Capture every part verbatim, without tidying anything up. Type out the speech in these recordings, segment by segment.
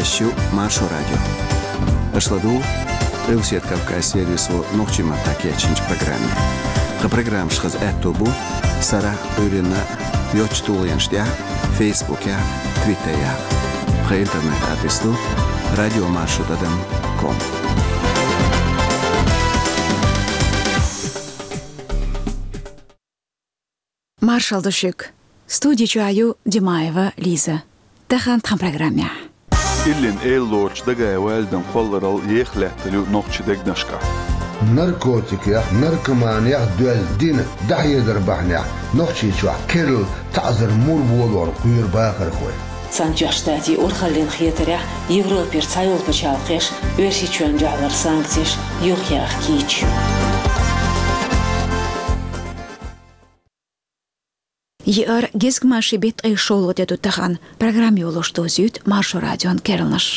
Еш ю Маршо радио. Аша ладугӀу Къилбаседа Кавказан сервисо нохчийн маттахь кечйинчу программе. Тхан программаш хаза аьтто бу сарахь а, Ӏуьйранна а йоцчу тулгӀенаш тӀехь а, Фейсбукехь а, Твиттерехь а. Тхан интернет-адрес ду радио маршо тӀадам ком. Маршалла ду шуьга. Студи чохь ю Димаева Лиза. Тахана тхан программехь. Иллина эла лоручу Дагаев Валидан кхолларалла еха лаьттар ю нохчийн дегнашкахь. Наркотикех, наркоманех доьзна дина дӀахьедар бахьанехь Нохчийчохь керла таӀзар мур болорна кхоьру бахархой. Цхьаьнатоьхначу Штатийн урхаллин хетарехь, Европера цхьайолу пачхьалкхеш Оьрсийчоьнна дуьхьал санкцеш юхаяха кийча ю. Еара гезгмашин беттан ткъе шолгӀа де ду тахана. Программа йолош дозуьйту Маршо радион керланаш.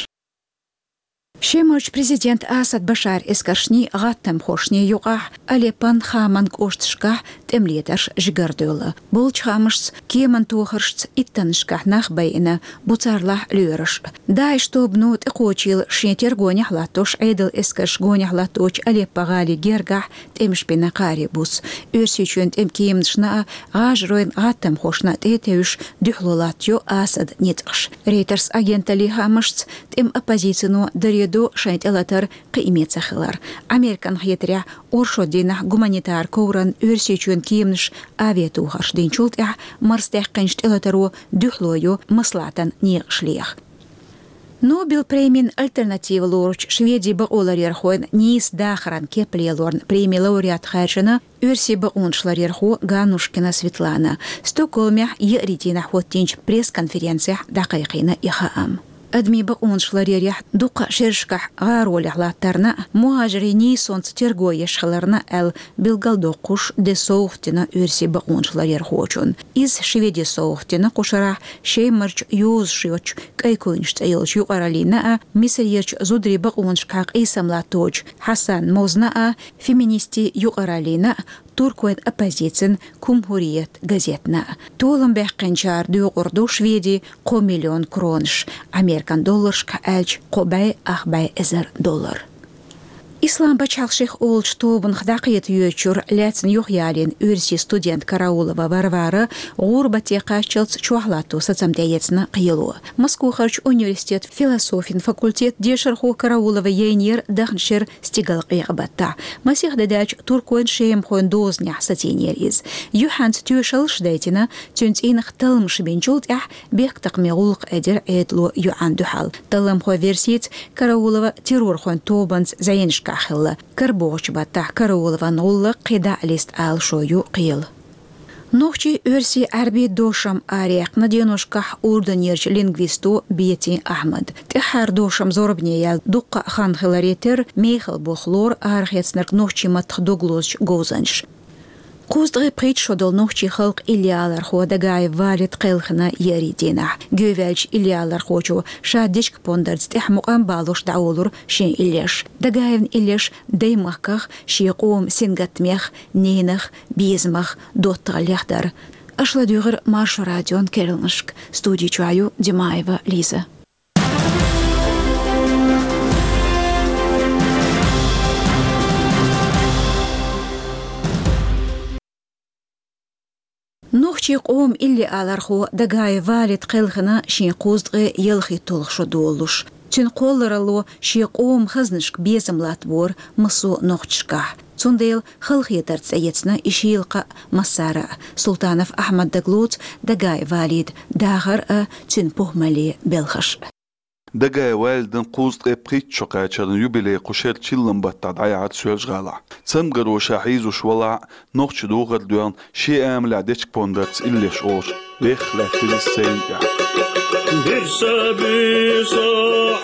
Шемарчу президентан Асад Башаран эскаршний, гӀаттамхошний юкъахь Алеппон, Хаман кӀошташкахь тӀеман ледарш жигара девлла. Болчу хаамашца, кеман тохаршца иттаннашкахь нах байина, бу царлахь лоьраш. ДАИШ тобано тӀекхочийла шен тера гонехь латтош, Ӏедалан эскарш гонехь латточу Алеппо-гӀалин гергахь тӀемаш бина кхаре буц. Оьрсийчоьнан тӀеман кеманашна а, гӀажаройн гӀаттамхошна а тӀе а тевжаш, дуьхьало латтайо Асадан ницкъаш. Рейтерс агенталлин хаамашца, тӀеман оппозицино даре до шайн тӀелатар кхиаме ца хилар. Американ хетарехь, оршот дийнахь гуманитаран ковран Оьрсийчоьнан кеманаш авиатохарш динчул тӀаьхьа марсадаьккхинчу тӀелатаро дуьхьало йо маслаӀатан некъаш леха. Нобелан премин альтернатива лоручу Шведин бакъоларъярхойн нийса дахаран кеп лелорна преми лауреат хаьржина оьрсийн бакъонашларъярхо Ганнушкина Светлана. Стокгольмехь еарин дийнахь хӀоттийначу пресс-конференцехь дӀакхайкхийна и хаам. Адамийн бакъонашларъярехь дуккха а шерашкахь гӀаролехь латтарна а, мухӀажарийн нийсонца терго еш хиларна а аьлла билгалдоккхуш де совгӀат дина оьрсийн бакъонашларъярхочунна. Иза Шведин совгӀат дина кху шарахь Шемарчу йозуш йоцчу КӀай куьйнаш цӀе йолчу юкъараллина а, Мисарерчу зударийн бакъонашкахь къийсам латточу Хьасан Мозна а, феминистийн юкъараллина а, туркойн оппозицин Кумхуриет газетна а. Толам баьккхинчара доькъур ду Шведин кхо миллион кронаш, американ долларшкахь аьлча, кхо бӀе ах бӀе эзар доллар. Ислам пачхьалкх шех олучу тобанах дӀакхета йоьдучуьра лаьцна юхаялийна оьрсийн студент Караулова Варвара гӀурбате кхаччалц чохь латто сацам тӀеэцна кхело. Москвахарчу университетан философин факультетан дешархо Караулова яйнера даханчу шеран стигалкъекъа баттахь. Масех де даьлча туркойн-шемахойн дозанехь сацийнера иза. Юьхьанца тоьшаллаш дайтина, цуьнан цӀийнах талламаш бинчул тӀаьхьа бехктакхаман гӀуллакх эдира Ӏедало йоьӀан дуьхьал. Талламхойн версица, Караулова террорхойн тобанца зӀенашкахь хилла. КарбохӀучу баттахь Караулован гӀуллакх кхин дӀа а листа алашо ю кхел. Нохчийн, оьрсийн, Ӏаьрбийн дошам араяьккхина деношкахь Урданерчу лингвисто Бетин Ахьмада. ТӀаьххьара дошам зорбане яьлла дуккха а хан хиларе терра, мехала болх лору арахецнарг нохчийн маттах дог лозучу говзанчаша. Кхузткъе пхийтта шо долу нохчийн халкъан иллиалархо Дагаев Валид кхелхина еарин дийнахь. Геваьллачу иллиалархочо ша дечка-пондарца тӀаьхьа мукъам балош дӀаволура шен иллеш. Дагаевн иллеш даймахках, шен къоман сингаттамех, ненах, безамах доттагӀаллех дара. Аша ладуьйгӀира Маршо радион керланашка. Студи чохь ю Димаева Лиза. Нохчийн къоман иллиалархо Дагаев Валид кхелхина шен кхузткъе ялхитталгӀа шо долуш. Цуьнан кхолларалло шен къоман хазанашка безам латтабора массо а нохчашкахь. Цундела халахетарца тӀеэцна и шийла кхаъ массара а. Султанов Ахьмада дагалоцу Дагаев Валидан дахар а, цуьнан похӀмаллин белхаш а. Дагаев Валидан кхузткъе пхийтта шо кхачаран юбилей кху шеран чиллан баттахь дӀаяьхьира Соьлжа-ГӀалахь. Цамгаро ша хьийзош валахь а, нохчийн духар а доьгӀна, шен амалехь дечка-пондарца иллеш олуш, вехха лаьттира иза сценан тӀехь. Бирса буьйса,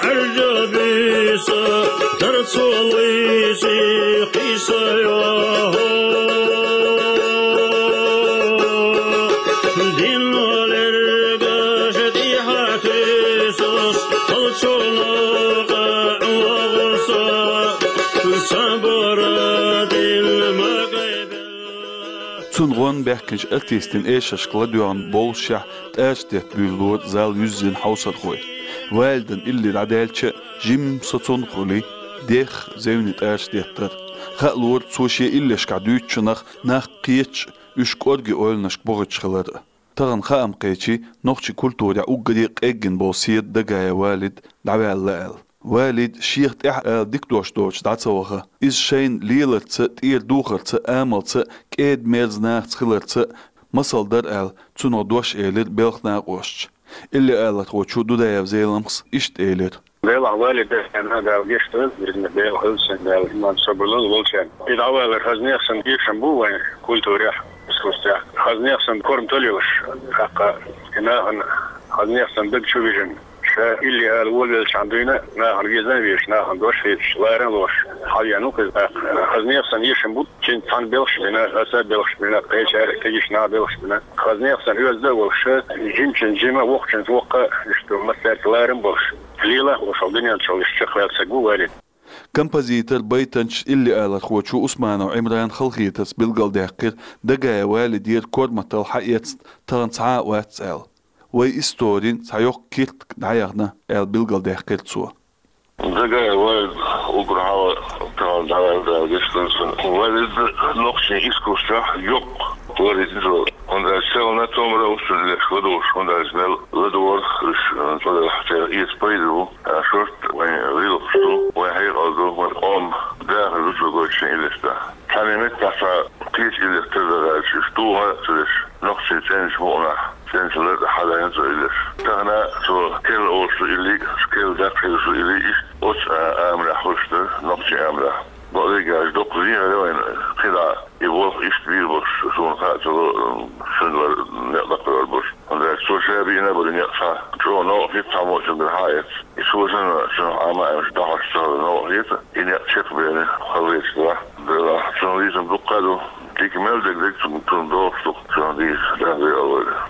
Ӏаьржа буьйса, дарцо лайси кхийса йоху. Динно лергаш тӀехьа туьйсуш, халчунах къа вогӀуса, сабура дин ма гайбелла. Цунна гӀон баьхкинчу артистийн эшаршка ладоьгӀна бовлушехь, тӀаьршдетта буьйлалора зал юьззина хьовсархой. Валидан илли дӀадаьлча а, жимма соцун хуьлий, дехха зевне тӀараш деттар. Хаалора, цо шен иллешкахь дуьйцучунах нах кхеташ а, уьш кӀорге ойланашка бохуьйтуш хилар а. Тахана хаам кхечий, нохчийн культурехь уггаре а къеггина болу седа Дагаев Валид дӀаваьлла аьлла. Валид шех тӀехь ала дика дош доцуш дӀа ца ваха. Иза шайна леларца а, тӀера духарца а, амалца а, кӀеда-мерза нахаца хиларца а масал дара аьлла, цунах дош элира белхан накъосташа. Илли алархочо Дудаев Зеламхас иштта элира. Белхан Валид, Дала гечдойла, иза белхан хилла, Дала иман, собар лойла волчарна. И дӀавалар хаза нехан санна эшам бу вайн культурехь, искусствехь. Хаза нехан санна корматалла йолуш, тӀаккха и нахана хаза нехан санна даг чу вижина. Ша илли ала волавеллачхьана дуьйна нахана веза а везаш, нахана дош а хеташ, ларам а лоруш, хьавеана ву-кх иза тӀаккха. Хаза нехан санна эшам бу, цуьнца цхьаьна белхаш бина, аса а белхаш бина, кхечара а кегийчара нах а белхаш бина. Хаза нехан санна оьзда а волуш, жимачуьнца жима, воккхачуьнца воккха, иштта массаьрца ларам а болуш, лела а хууш, хьо дуьнен чу иштта чекхваьлла стаг ву Валид. Композитор, байтанча, илли алархочо Усманов Ӏимрана халахетарца билгалдаьккхира Дагаев Валидера корматалла хьаэцна тахана цхьа а вац аьлла. Вайн историн цхьа йоккха киртиг дӀаяхна аьлла билгалдаьккхира цо. Дагаев Валид уггар хьалха тахана дӀаваьлла, Дала гечдойла цунна. Валид нохчийн искусствехь йоккха вар иза, хӀунда аьлча селхана томара а ву цуьнан леш ладугӀуш, хӀунда аьлча мел ладугӀура уьш, цуьнах церан эца пайда бу. Шорта вайн гӀиллакхаш ду, вайн хьекъал ду, вайн къоман дахар ду цо гойтуш шен иллеш тӀехь. Цхьана меттехь цхьа кхечу иллех тера даьлча, уьш духа а ца деш, нохчийн цӀеначу мукъанахь, цӀеначу лар тӀехь хьадайна цо иллеш. Тахана цо керла олуш ду илли, керла даккха хилла ду илли, иштта оцу а-, амалехь хуьлуш дара, нохчийн амалехь. Бакъдерг аьлча, доккха зен хир вайна, кхидӀа и болх иштта бийр болуш, суна хаа ца ло, цуьнан вара некъ даккхар болуш. ХӀунда аьлча цо ша бийна а бара некъ цхьа, чӀогӀа новкъа хӀитта цхьаммо цуьнгара хьаэцна. И цо санна, цунах Ӏама а Ӏемаш, дӀахьош ца хилла новкъа хета, и некъ чекхбеана, хала вецаш делахь, делахь, цунах лийцам дуккха а ду, дика мел дерг дерг цунна, цунна догӀуш ду, цунах дийца, Дала декъал войла.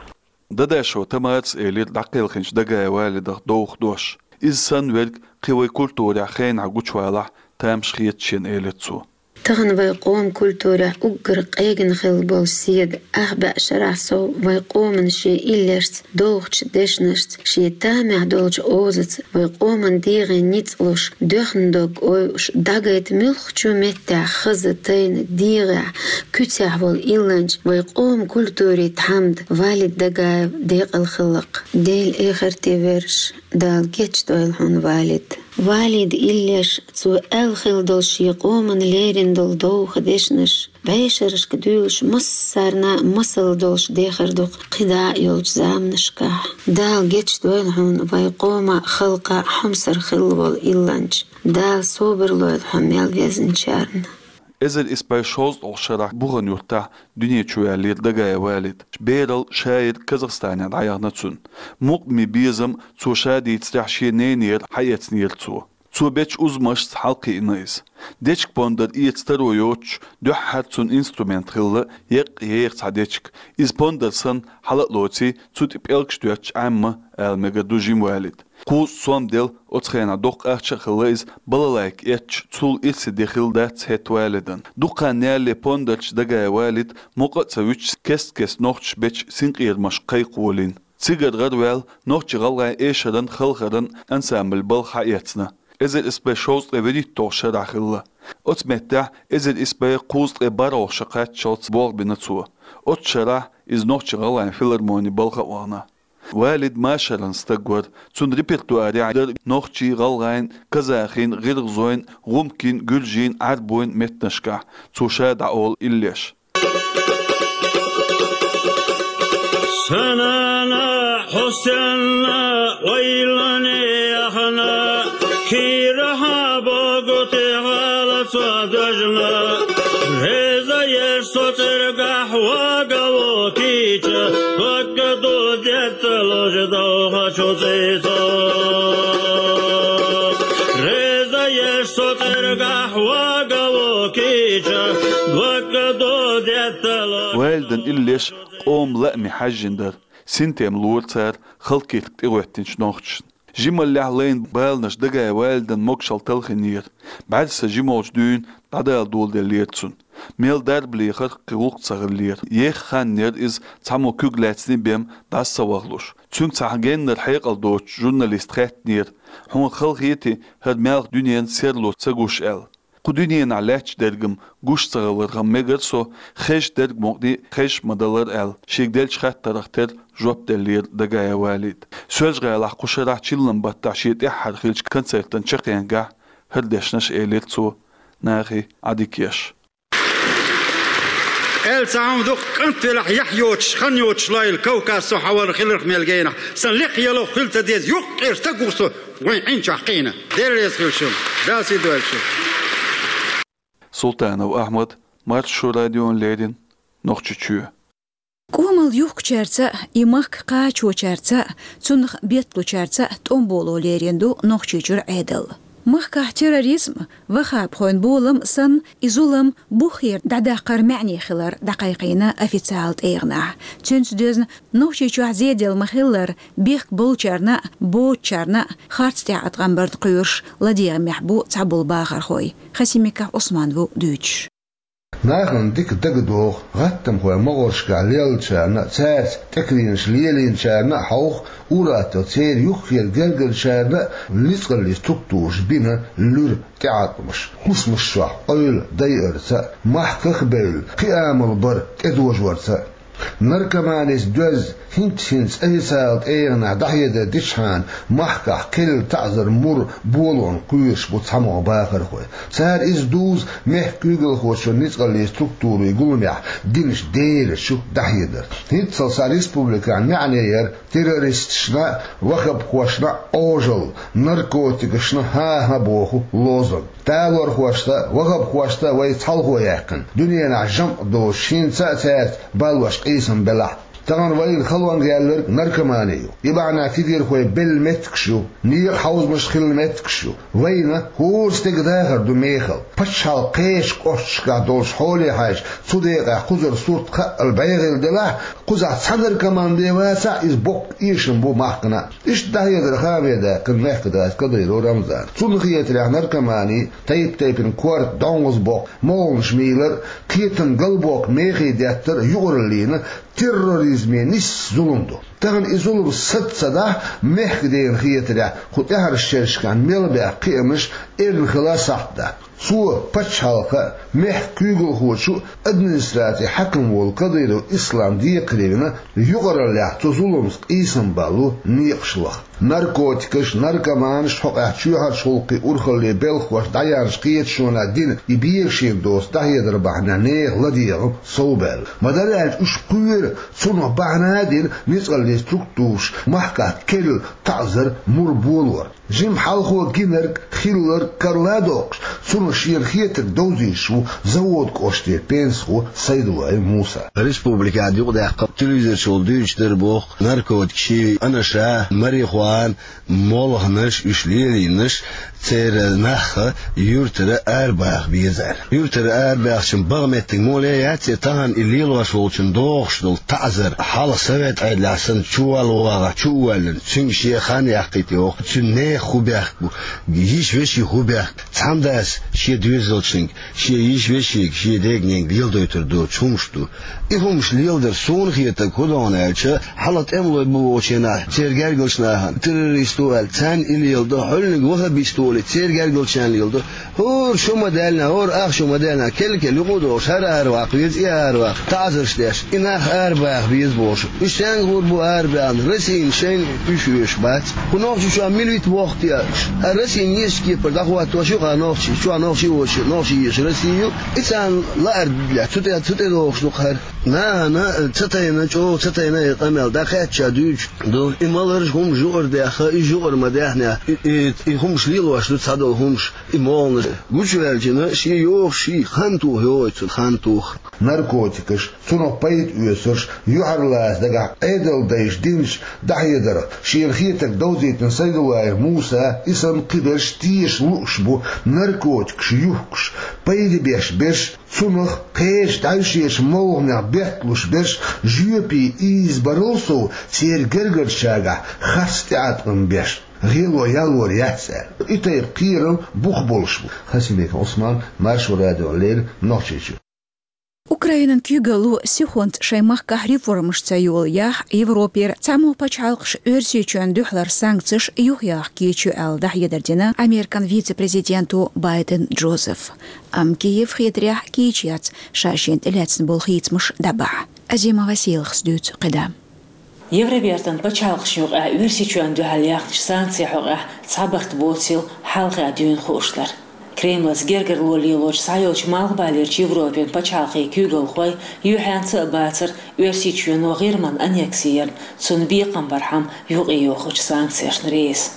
Дадашева Тамарас элира дӀакхелхинчу Дагаев Валидах довха дош. Иза санна верг кхин вайн культурехь хенахь гучувалахь, тамаш хета шена, элира цо. Тахана вайн къоман культурехь уггар къегина хилла болу седа, ах бӀе шарахь сов вайн къоман шен иллешца, дохучу дешнашца, шен тамехь долчу озаца вайн къоман дегӀе ницкъ луш, доьхна дог ойуш, дӀагайта муьлххачу меттехь хаза, тайна, дегӀехь, куьцехь волу илланча вайн къоман культурин тхьамда Валид Дагаев декъала хилла-кх. Делан эхарте верш, Дала гечдойла хьуна, Валид. Валидан иллеш, цо аьлла хилла долу шен къоман лерина долу довха дешнаш, бӀешерашка дуьйлуш массарна а масал долуш дехар ду-кх кхидӀа а йолчу заманашкахь. Дала гечдойла хьуна, вайн къоман, халкъан хьомсара хилла волу илланча. Дала собар лойла хьо мел везначарна. Эзар исс бӀе шовзткъалгӀа шарахь Бухан-Юьртахь дуьне чу ваьллера Дагаев Валид. Берал, шайра Казахстанехь дӀаяхна цунна. Мукъамийн безам цо ша дийцарехь шен ненера хьаэцнера цо. Цо бечу узамашца хьалакхиъна иза. Дечка-пондар эца таро йоцуш, дуьххьара цуьнан инструмент хилла еккъа еха цхьа дечка. Иза пондар санна хьала а лоций, цу тӀе пӀелгаш доьттуш Ӏемма, ала мегар ду жима Валида. Кхузткъа сом делла, оцу хенахь доккха ахча а хилла иза, балалайка эцча, цул ирсе де хилла дац хӀетта Валидан. Дукха хан ялале пондарчу Дагаев Валид мукъа а ца вуьтуш, кест-кеста нохчаша бечу синкъерамашка кхайкхаволийна. Цигара гӀараваьлла, нохчийн-гӀалгӀайн эшаран, халхаран ансамблан балха хьаэцна. Эзар исс бӀе шовзткъе вуьрхӀитталгӀа шарахь хилла. Оцу меттехь эзар исс бӀе кхузткъе бархӀалгӀа шо кхаччалц болх бина цо. Оцу шарахь иза нохчийн-гӀалгӀайн филармонин балха а вахана. Валид машаран стаг вара, цуьнан репертуарехь дара нохчийн, гӀалгӀайн, казахийн, гӀиргӀазойн, гӀумкийн, гуьржийн, Ӏаьрбойн меттанашкахь цо ша дӀаолу иллеш. Санана, Хьусенна, ойлане яхана, кирахьа богу тӀехьала ца дожна. Реза еш со цӀергахь вагало кийча, докка ду детталуш довхачу цӀийцо. Реза еш со цӀергахь вагало кийча, докка ду детталуш. Валидан иллеш къоман лааме хьаьжжина дара. Синтем лора цара халкъан киртиг тӀегӀоьттинчу нохчашна. Жималлехь лайна баланаш Дагаев Валидан могашалла талхийнера. БӀаьрса жимолчу дуьйна дӀадала доладеллера цунна. Мел дарба лехар кхин гӀуллакх ца хиллера. Еха хан яра иза, цхьаммо куьг лаьцний бен дӀаса ца вахалуш. Цуьнга цхьа геннара хьекъал доцучу журналиста хаьттинера: «Хьуна хала хетий, хӀара маьлхан дуьненан серло ца гуш?» – аьлла. Кху дуьненахь лаьтташ дерг-м гуш ца хиларх-м мегара со, хезаш дерг мукъане а хезаш ма далара аьлла, шега деллачу хаттарх тера жоп деллера Дагаев Валида. Соьлжа-ГӀалахь кху шарахь чиллан баттахь шен тӀаьххьара хиллачу концертана чаккхенгахь хӀара дешнаш элира цо, нахе Ӏадика еш. Аьлла ца хьуна дукха кӀант велахь, яхь йоцуш, хан йоцуш лойла Кавказ со хьавар хиларх мел генахь. Сан лекха яло хила ца деза, юккъера стаг ву со, вайн Ӏин чохь кхийна. Дела реза хуьлда шуна. Дала сий дойла шуна. Султанов Ахьмад, Маршо радиона леррина, Нохчийчоь. Къомалла юхкучаьрца а, и махка кхачочаьрца а, цунах бетталучаьрца а тӀом боло лерина ду Нохчийчуьра Ӏедал. Махкахь терроризм, ваххабхойн болам санна, и зулам буххера дӀадаккхар маьӀне хилар дӀакхайкхийна официалан тӀегӀанехь. Цуьнца доьзна, Нохчийчохь зеделла ма-хиллара, бехк болчарна а, боцучарна а харц тӀеӀаткъам барна кхоьруш ладегӀамехь бу цхьаболу бахархой. Хасимиков Ӏусман ву дуьйцуш. Нахана дика дагадогӀу гӀаттамхойн могӀаршкахь леллачарна а, цаьрца тӀекхийраш лелийначарна а хьовха, ур-атталла церан юххера гергарчарна а ницкъаллин структураша бина луьра тӀеӀаткъамаш, хӀусамаш чохь къевла дайарца а, махках а бевлла, кхин амал бар тӀедожорца а. Наркоманица доьзна, хӀинцца-хӀинцца официалан тӀегӀанехь дӀахьедар дичхьана, махкахь кхелла таӀзар мур болонна кхоьруш бу цхьамогӀа бахархой. Цара иза дузу мехкан куьйгалхочун ницкъаллин структурийн гуламехь динчу дерачу дӀахьедар. ХӀинццалц цхьа республикан маьӀне яра террористашна а, ваххабхошна а Ӏожалла, наркотикашна хӀан-хӀа боху лозунг. Талорхошца а, ваххабхошца а вай цхьалхо яьккхина, дуьненахь жамӀ доцуш, хӀинца а цаьрца балош къийсам белахь а. Тахана вайна халонга яьлларг наркомани ю. И бахьана кегийрхой белла меттигаш ю, некъан хьовзамаш хилла меттигаш ю. Вайна хӀора стеган дахар ду мехала. Пачхьалкхан кхечу кӀошташкахь долчу хьоле хьаьжча, цу декъехь кхузара сурт хаъал бӀе хилла делахь а, кхузахь цхьа наркоман бен вацахь а, иза боккха эшам бу махкана а. Иштта дӀахьедар ханве даьккхина мехкан дас Кадыров Рамзана. Цунна хетарехь, наркомани, тайп-тайпана корта, донгӀазбоккха, молханаш мийлар а, кхетам галбоккха мехий деттар а юкъараллина терроризме нисса зулам ду. Тахана и зулам саца ца дахь, мехкан дена хетарехь, кху тӀаьхьарчу шерашкахь мел баьхна кхиамаш эрна хила сахьт дац. Цо пачхьалкхан а, мехкан куьйгалхочун а администрацин хьаькам волу Кадыров Ислам декхаре вина, юкъараллехь цу зуламца къийсам балло некъаш лаха. Наркотикаш, наркоманаш, хьокъехь чоьхьарчу гӀуллакхийн урхалле белхахошна дӀаяьхьначу кхеташонехь дина и бегашийна доцу дӀахьедар бахьанехь нехан ладегӀам совбаьлла. Ма-дарра аьлча, уьш кхоьру цунах бахьана а дина ницкъаллин структураша махкахь кхелла таӀзар мур болор. Жимма хьалхо гинарг, хилларг карладоккхуш, цунах шена хетарг довзуьйтуш ву Завод кӀоштан пенсахо Сайдуллаев Муса. Республикехь юкъадаьккхина телевизор чухула дуьйцуш дара боху, наркотикаш, анаша, марихуана, молханаш, уьш лелийнарш, церан нах юьртара арабаха безара. Юьртара арабаьхча, бага меттиг моле яц, тахана и лелош волчун догӀуш долу таӀзар, хьалха совет Ӏедалехь санна чувала вогӀахь, чу а воьллина, цуьнга шен хан яккхийта йоху, цуьнан нехан хӀун бехк бу, йиша-вешин хӀун бехк, цхьана дас шен доьзалшниг, шен йиша-вешига, шен дега-ненга леладойтур доцуш хӀумаш ду. И хӀумаш леладар, суна хетарг, хӀун догӀу аьлча, хьалха тӀемалой бу бохучу хенахь, церан гергарчу нахана террорист ву аьлла, царна и леладо, хьуьлланиг ваххабист ву олий, церан гергарчарна леладо. ХӀора шу ма даьллинехь, хӀора ах шу ма даьллинехь, кел-кел юкъа а догӀуш, хӀара араваккха веза, и араваккха, таӀзарш деш, и нах арабаха беза бохуш. Уьш цхьаьнгахула бу арабаьхна, Россина шайна уьш оьшуш бац. Кху Нохчийчохь мила вита воху те уьш? Хьан Россина езачу кепара дӀахӀоттош ю хьан Нохчийчу, чохь нохчий воцуш, нохчий езаш Россия ю? И царна лааралехь, цу тӀе, цу тӀе догӀуш ду-кх хӀара. Нахана ца тайна, чӀогӀа ца тайна и къамел дӀакхаьчча дуьйцуш ду. И маларш хӀумаш юкъара даьхна, иза юкъара ма даьхнехь, и, и, и хӀумаш лелош ду цхьадолу хӀумаш, и молханаш. Гучуваьллачунна шен йогӀуш, шен хан тоха йогӀуьйту цунна, хан тоха. Наркотикаш, цунах пайда оьцурш, юьхьарлаца дагахь Ӏедалдайша динчу дӀахьедарх шена хетарг довзийтина Сайдуллаев Муса, и санна кхиберш теша лууш бу, наркотикаш юхкуш, пайда беш берш, цунах кхечу дӀаьвшечу молханех бетталуш берш, жоьпе ийзабарал сов, церан гергарчаьргахь харц тӀеӀаткъам беш. ГӀело ялор яц аьлла. И тайпа кхерам бух болуш бу. Хасимбеков Ӏусман, Маршо радиона леррина, Нохчийчоь. Украинан куьйгалло сихонца шайн махкахь реформаш ца йолаехь, Европера цхьаммо пачхьалкхаш Оьрсийчоьнна дуьхьалара санкцеш юхаяха кийча ю аьлла, дӀахьедар дина Американ вице-президенто Байден Джозефа. Амма Киев хетарехь кийча яц, ша шена тӀелаьцна болу хийцамаш дӀабахьа. Азима Василахас дуьйцу кхидӀа. Евробертан пачхьалкхашна юкъахь Оьрсийчоьнна дуьхьал яьхначу санкцийн хьокъехь цхьа барт боцийла хьалха дуьйна хууш дара. Кремлаца гергарло лелочу схьайолчу Малхбалерчу Европин пачхьалкхийн куьйгалхой юьхьанца а бацара Оьрсийчоьно ГӀирман аннекси ярна, цунна бекхам бархьама юкъайохучу санкцешна реза.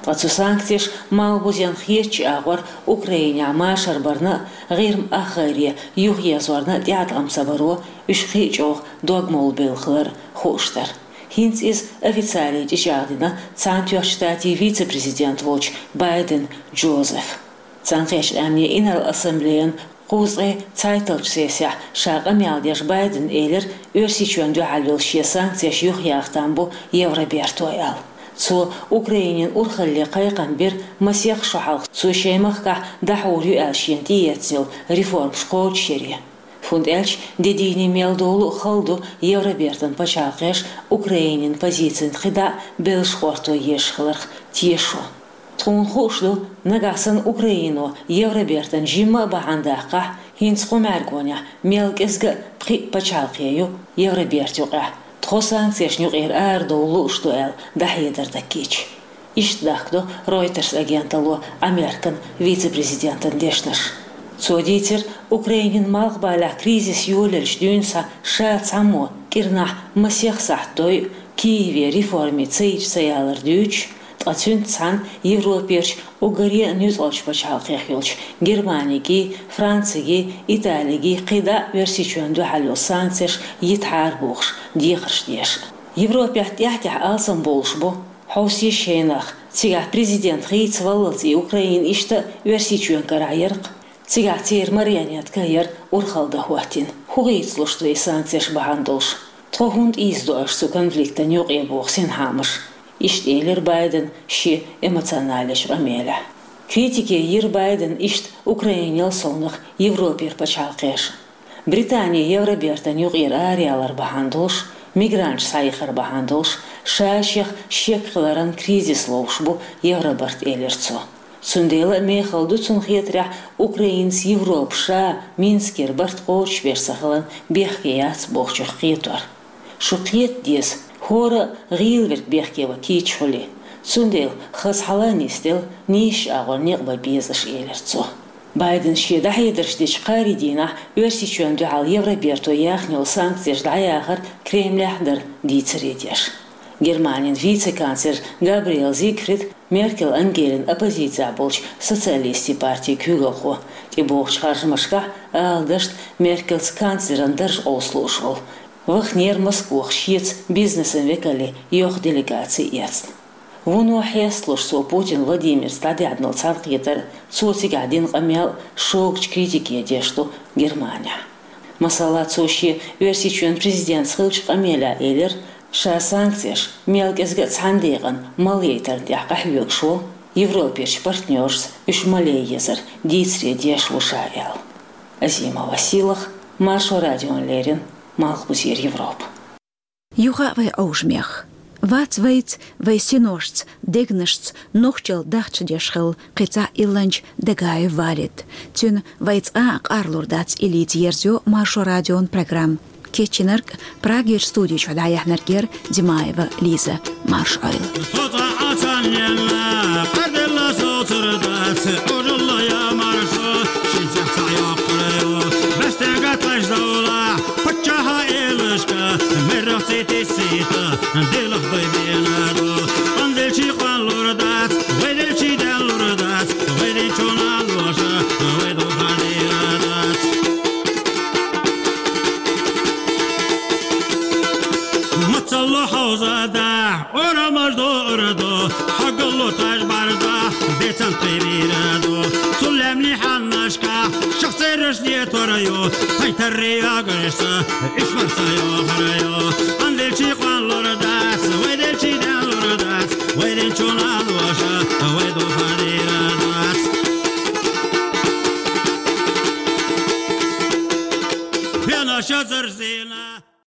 Ткъа цу санкцеша малхбузенна хетачу агӀор Украинехь машар барна а, ГӀирма ахгӀайре юхаезорна а тӀеӀаткъам ца баро, уьш кхин а чӀогӀа догмалла белла хилар хууш дара. ХӀинца иза официале чӀичӀагӀдина Цхьаьнатоьхначу Штатийн вице-президент волчу Байден Джозефа. Цхьаьнакхеттачу Къаьмнийн Инарла Ассамблеян кхузткъе цхьайтталгӀачу сессехь ша къамел деш Байдена элира Оьрсийчоьнна дуьхьал йолу шен санкцеш юхаяха там бу Евроберто аьлла. Цо Украинин урхалле кхайкхам бира масех шо хьалха цо шайн махкахь дӀахьур ю аьлла шена тӀеэцна йолу реформаш кхочушъяре. ХӀунда аьлча де дийне мел долу а хала ду Евробертан пачхьалкхеш Украинин позицина кхидӀа а беллаш гӀорто езаш хиларх тешо. Тхуна хууш ду, нагахь санна Украино Евробертан жимма а бахьана даккхахь, хӀинца кху мӀаьргонехь мел кӀезга а пхиъ пачхьалкхе ю Евроберта юкъехь, тхо санкцешна юкъера арадовла лууш ду аьлла, дӀахьедар дан кийча. Иштта дахкадо Reuters агенталло Американ вице-президентан дешнаш. Цо дийцира, Украинин малхбалехь кризис йолаелча дуьйна схьа ша цхьаммо кӀирнахь масех сахьт дойу Киеве реформе ца йича ца ялар дуьйцуш, ткъа цуьнца цхьаьна Европерчу уггаре а нуьцкъалчу пачхьалкхех йолчу Германигий, Францигий, Италигий кхидӀа а Оьрсийчоьнна дуьхьал йолу санкцеш йитахьара бохуш дехарш деш. Европехь тӀаьхь-тӀаьхьа алсам болуш бу хьовсийша шайнах, цигахь президент хийцаваллалц и Украина иштта а Оьрсийчоьнан карахь яра-кх. Цигахь церан марионетка яра урхалла дан хӀоттийна. ХӀун хийцалуш ду и санкцеш бахьана долуш? Тхо хӀунда ийзадо аша цу конфликтан юкъе, боху синхаамаш? Иштта элира Байдена шен эмоционалечу къамелехь. Критике йира Байдена иштта Украинел совнаха Европера пачхьалкхеша. Британи Евробертан юкъера араяла бахьана долуш, мигранташ схьаихар бахьана долуш, ша-шех шекхиларан кризис ловш бу Евробарт, элира цо. Цундела а мехала ду цунна хетарехь Украинас Европа ша Минскера барт кхочушбеш ца хиларна бехке яц бохучух кхетор. Шу кхета деза, хӀора а гӀийла верг бехке ван кийча хуьлий. Цундела хаза хьала а нисделла, нийсачу агӀор некъ бан беза аша, элира цо. Байдена шен дӀахьедарш дечу кхаарин дийнахь Оьрсийчоьнна дуьхьал Евроберто яьхна йолу санкцеш дӀаяхар Кремлехь дара дийцаре деш. Германин вице-канцлер Габриэл Зигфрид, Меркель Ангелин оппозицехь болчу Социалистийн партин куьйгалхо, тӀебогӀучу харжамашкахь, ала дашна, Меркельца канцлеран дарж къовса лууш волу, ваханера Москвахь шеца бизнесан векалий йоху делегаци эцна. Вуно хьесталуш цо Путин Владимирца дӀадаьхьна долу цхьаьнакхетар, цо цигахь дина къамел шогачу критике деш ду Германехь. Масала, цо шен Оьрсийчоьнан президентца хиллачу къамелехь элира, ша санкцеш мел кӀезга а цхьана декъана малъяйтарна тӀехь къахьоьгуш ву, Европерчу партнершца уьш малъяй езар дийцаре деш ву ша аьлла. Азима Василах, Маршо радиона леррина, Малхбузера Европа. Юха а вай Ӏовжамех. Вац вайца, вай синошца, дегнашца нохчалла дахча деш хилла кхин цхьа илланча Дагаев Валид. Цуьнан «Вай цкъа а къарлур дац» илица ерзайо Маршо радион программа. Кечйинарг Прагерчу студи чохь дӀаяьхьнарг яра Димаева Лиза. Марша Ӏойла. Со цкъа а царна елла, къарделла соцур дац, Ӏожалла я маршо, шен цех цхьа йоккхур ю. Бестега тайш довла, паччахьа элашка, мерах цӀе тесита, делах дай бена ду. Къанделчи къанлур дац, вайделчи деллур дац, вайден чуна лоша, вайду хадира дац. Мацалло хьовзада, орамаш до орадо, хьагалло таж барда, бецан тхебира до. Цулемни ханнашка, шахцераш де торайо, тайтарри агарса, ишмарса йохарайо.